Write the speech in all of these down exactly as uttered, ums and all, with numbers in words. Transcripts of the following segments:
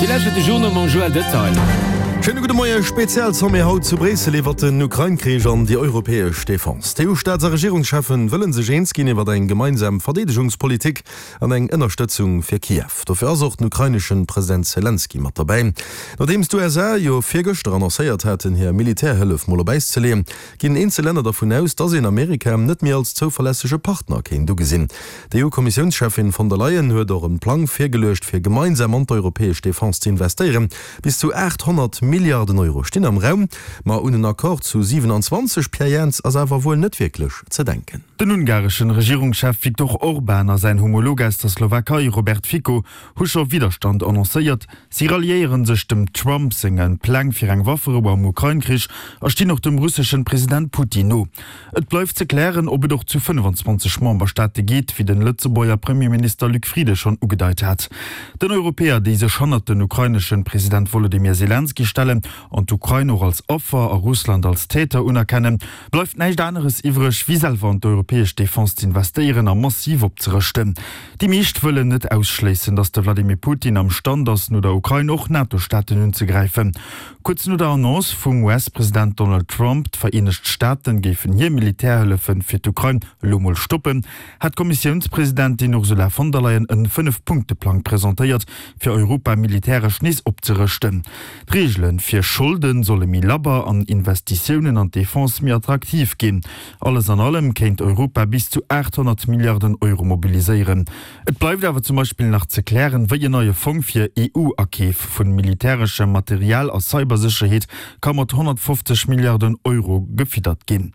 Dir lauschtert de Journal mam Joël Detail. Schéine gudde Moien. Spezialsommet haut zu Bréissel iwwert den Ukrain-Krich an déi europäesch Defense. D'EU-Staats a Regierungscheffen wëllen sech eens ginn iwwert eng gemeinsam Verdeedegungspolitik an eng Ënnerstëtzung fir Kiew. Dofir ass och den ukraineschen President Selenskyj mat derbäi. Nodeems d'USA jo virgëschter annoncéiert haten, hir Militärhëllef mol op Äis ze leeën, ginn eenzel Länner dervun aus, dass een Amerika net méi als zouverlässege Partner kéint ugesinn. D'EU-Kommissiounscheffin von der Leyen huet och e Plang virgeluecht, fir gemeinsam an d'europäesch Defense ze investéieren. Bis zu achthonnert Milliarden Euro stinn am Raum, ma un en Accord zu siwenanzwanzeg, Pierre Jans, ass awer wuel net wierklech ze denken. Den ungareschen Regierungschef Viktor Orban a säin Homolog aus der Slowakei Robert Fico hu scho Widderstand annoncéiert. Si ralliéiere sech dem Trump senge Pläng fir eng Wafferou am Ukrain-Krich a stinn och dem russeschen President Putin no. Et bleift ze klären, ob et och zu fënnefenzwanzeg Memberstaate geet, wéi den Lëtzebuerger Premierminister Luc Frieden schonn ugedeit hat. Den Europäer, déi sech hannert den ukraineschen President Wolodymyr Selenskyj stellen an d'Ukrain och als Affer a Russland als Täter unerkennen, bleift näischt aneres iwwreg, wéi selwer an d'europäesch Defense z'investéieren a massiv opzerëschten. Déi meescht wëllen net ausschléissen, datt de Vladimir Putin am Stand ass, no der Ukrain och NATO-Staaten unzegräifen. Kuerz no der Annonce vum U S-President Donald Trump, d'Vereenegt Staaten géifen hir Militärhëllefe fir d'Ukrain elo mol stoppen, hat d'Kommissiounspresidentin Ursula von der Leyen en Fënnef-Punkte-Plang presentéiert, fir Europa militäresch nees opzerëschten. D'Reegele fir Scholde solle méi labber an Investitiounen an d'Defense méi attraktiv ginn. Alles an allem kéint Europa bis zu aathonnert Milliarden Euro mobiliséieren. Et bleift awer zum Beispill nach ze klären, wéi en neie Fong fir E U-Akeef vu militäreschem Material a Cybersécherheet ka mat honnertfofzeg Milliarden Euro gefiddert ginn.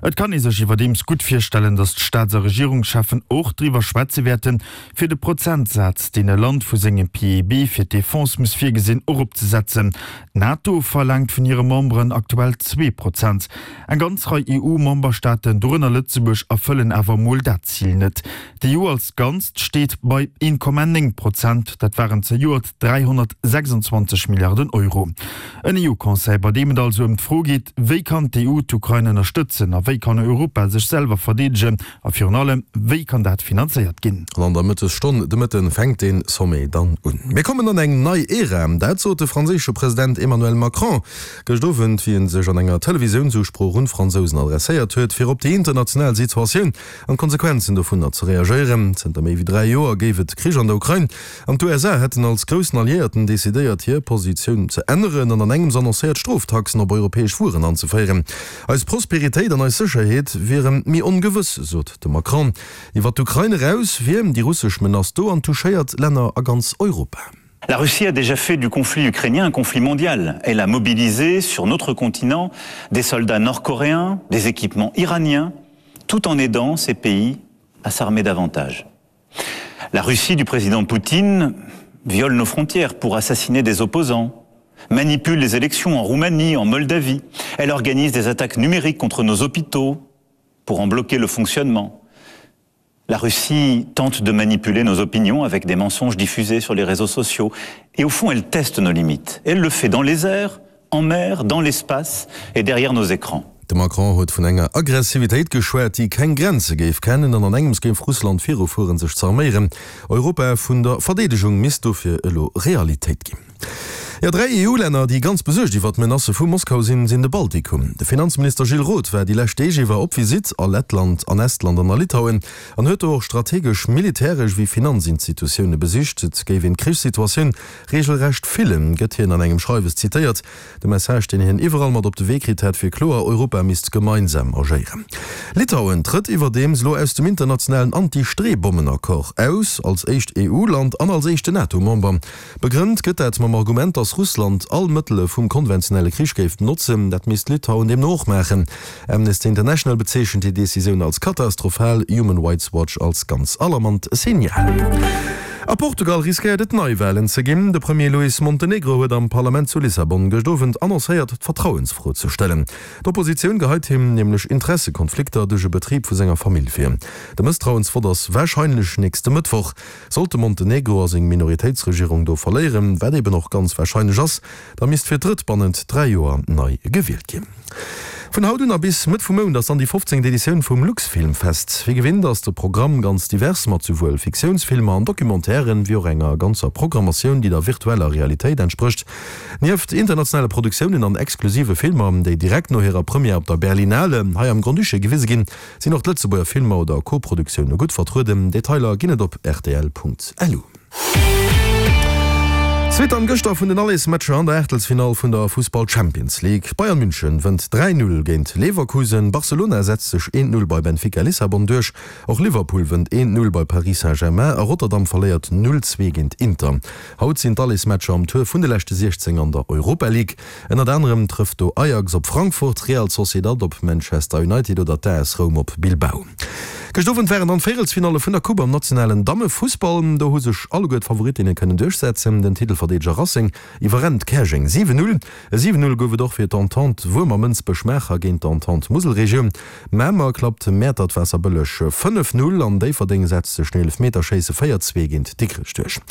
Et kann ee sech iwwerdeems gutt virstellen, datt d'Staats a Regierungscheffen och driwwer schwätze wäerten, fir de Prozentsaz, deen e Land vu sengem P I B fir d'Defense muss virgesinn, eropzesetzen. D'NATO verlaangt vun hire Memberen aktuell zwee Prozent. Eng ganz Rei E U-Memberstaaten, dorënner Lëtzebuerg, erfëllen awer mol dat Zil net. D'E U als Ganzt steet bei een Komma néng Prozent, dat waren zejoert dräihonnertsechsundzwanzeg Milliarden Euro. En E U-Conseil, bei deem et also ëm d'Fro geet, Wéi kann d'E U d'Ukrain ënnerstëtzen a wéi kann Europa sech selwer verdeedegen a virun allem, wéi kann dat finanzéiert ginn? An an der Mëttesstonn de Mëtten fänkt dee Sommet dann un. Mir kommen an eng nei Ära, dat sot de franséische President Emmanuel Macron gëscht Owend, wéi en sech an enger Televisiounsusprooch un d'Fransousen adresséiert huet, fir op déi international Situatioun an d'Konsequenzen dovunner ze reagéieren. Zënter méi wéi dräi Joer géif et Krich an der Ukrain an d'U S A hätten als groussen Alliéierten decidéiert, hir Positioun ze änneren an an engems annoncéiert, Stroftaxen op europäesch Wueren anzeféieren. Eis Prosperitéit an eis Sécherheet wiere méi ongewëss, sot de Macron. Iwwer d'Ukrain eraus wier déi russesch Menace do an touchéiert Länner a ganz Europa. La Russie a déjà fait du conflit ukrainien un conflit mondial. Elle a mobilisé sur notre continent des soldats nord-coréens, des équipements iraniens, tout en aidant ces pays à s'armer davantage. La Russie du président Poutine viole nos frontières pour assassiner des opposants, manipule les élections en Roumanie, en Moldavie. Elle organise des attaques numériques contre nos hôpitaux pour en bloquer le fonctionnement. La Russie tente de manipuler nos opinions avec des mensonges diffusés sur les réseaux sociaux. Et au fond, elle teste nos limites. Elle le fait dans les airs, en mer, dans l'espace et derrière nos écrans. De Macron huet vun enger Aggressivitéit geschwat, déi keng Grenze géif kennen, an an engems géif Russland virufueren, sech z'arméieren. Europa vun der Verdeedegung misst dofir elo Realitéit ginn. Jo, dräi E U-Länner, déi ganz besuergt iwwer d'Menacë vu Moskau sinn, sinn de Baltikum. De Finanzminister Gilles Roth war déi lescht Deeg iwwer op Visitt a Lettland, an Estland an a Litauen an huet do och strategesch militäresch wéi Finanzinstitutioune besicht. Et géif een d'Krichssituatioun reegelrecht fillen, gëtt hien an engem Schreiwes zitéiert. De Message, deen hien iwwerall mat op de Wee kritt hätt, wier kloer, Europa misst gemeinsam agéieren. Litauen trëtt iwwerdeems elo aus dem internationalen Anti-Streebommen-Accord aus, als éischt E U-Land an als éischten NATO-Member. Begrënnt gëtt dat mam Argument, datt Russland all Mëttele vum konventionelle Krich géif benotzen. Dat misst Litauen deemno och maachen. Amnesty International bezeechent déi Decisioun als katastrophal, Human Rights Watch als ganz alarmant Signal. A Portugal riskéiert et Neiwalen ze ginn. De Premier Luís Montenegro huet am Parlament zu Lissabon gëscht Owend annoncéiert, d'Vertrauensfro ze stellen. D'Oppositioun geheit him nämlech Interessekonflikter duerch e Betrib vu senger Famill vir. De Mësstrauensvott ass warscheinlech nächste Mëttwoch. Sollt de Montenegro a seng Minoritéitsregierung do verléieren, wat eben och ganz warscheinlech ass, da misst fir d'drëtt bannent dräi Joer nei gewielt ginn. Vun haut un a bis Mëtt vum Mount ass dann déi fofzéngt Editioun vum Luxfilmfest. Wéi gewinnt ass de Programm ganz divers, mat souwuel Fiktiounsfilmer an Documentairen, wéi och enger ganzer Programmatioun, déi der virtueller Realitéit entsprécht. Nieft internationale Produktiounen an exklusive Filmer, déi direkt no hirer Première op der Berlinale hei am Grand-Duché gewise ginn, sinn och d'Lëtzebuerger Filmer oder Koproduktioune gutt vertrueden. Detailer ginn et op rtl.lu. Suite an gëschter vun den Allesmatcher an der Aachtelsfinall vun der Fussball Champions League. Bayern München wënnt dräi Null géint Leverkusen, Barcelona setzt sech eent Null bei Benfica Lissabon duerch, och Liverpool wënnt eent Null bei Paris Saint-Germain a Rotterdam verléiert Null zwee géint Inter. Haut sinn d'Allesmatcher am Tour vun de leschte siechzéng an der Europa League. Ënnert anerem trëfft do Ajax op Frankfurt, Real Sociedad op Manchester United oder d'A S Roum op Bilbao. Gëscht Owend waren dann d'Véierelsfinalle vun der Coupe am nationalen Dammefussball. Do hu sech alleguer d'Favorittinne kënnen duerchsetzen. Den Titelverdeedeger Racing iwwerrennt Käerjeng siwen Null. E siwen Null gouf et och fir d'Entente Wuermer-Mënsbech-Maacher géint d'Entente Muselregioun. Mamer klappt Mäertert-Waasserbëlleg fënnef Null an Déifferdeng setzt sech no Eelefmeterschéisse véier zwee géint Dikrech duerch.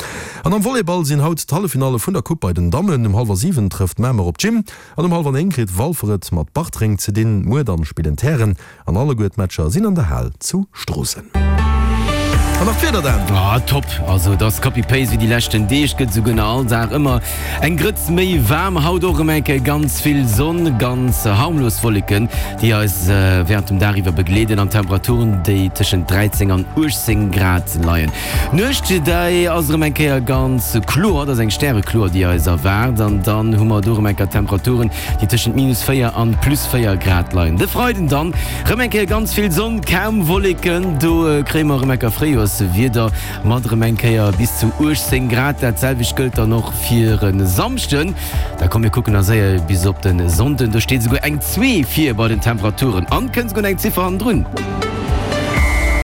An am Volleyball sinn haut d'Halleffinalle vun der Coupe bei den Dammen. Um hallwer siwen trëfft Mamer op d'Gym an um hallwer néng kritt Walfer et mat Bartreng ze dinn. Muer dann spillen d'Hären an alleguer d'Matcher sinn an der Hal zu Stroossen. An nach d'Wieder dann. Ah, top! Also et ass Copy-Paste wéi déi leschten Deeg, gëtt esouguer nach all Dag ëmmer eng Grëtz méi waarm. Haut och erëm eng Kéier ganz vill Sonn, ganz harmlos Wolleken, déi eis wärend dem Dag iwwer begleeden an Temperaturen, déi tëschent dräizéng an uechtzéng Grad leien. D'Nuecht, déi ass erëm eng Kéier ganz kloer, et ass eng Stärekloer, déi eis erwaart an dann hu mer do erëm eng Kéier Temperaturen, déi tëschent minus véier an plus véier Grad leien. De Freiden dann rëm eng Kéier ganz vill Sonn, kaum Wolleken, do kréie mer erëm eng Kéier Fréijoerswieder mat erëm eng Kéier bis zu uechtzéng Grad. Dat selwecht gëllt dann och fir e Samschden. Da komm mir kucken nach séier bis op de Sonnden, do steet esouguer eng zwee vir bei den Temperaturen an kënnt esouguer nach eng Ziffer hannendrun.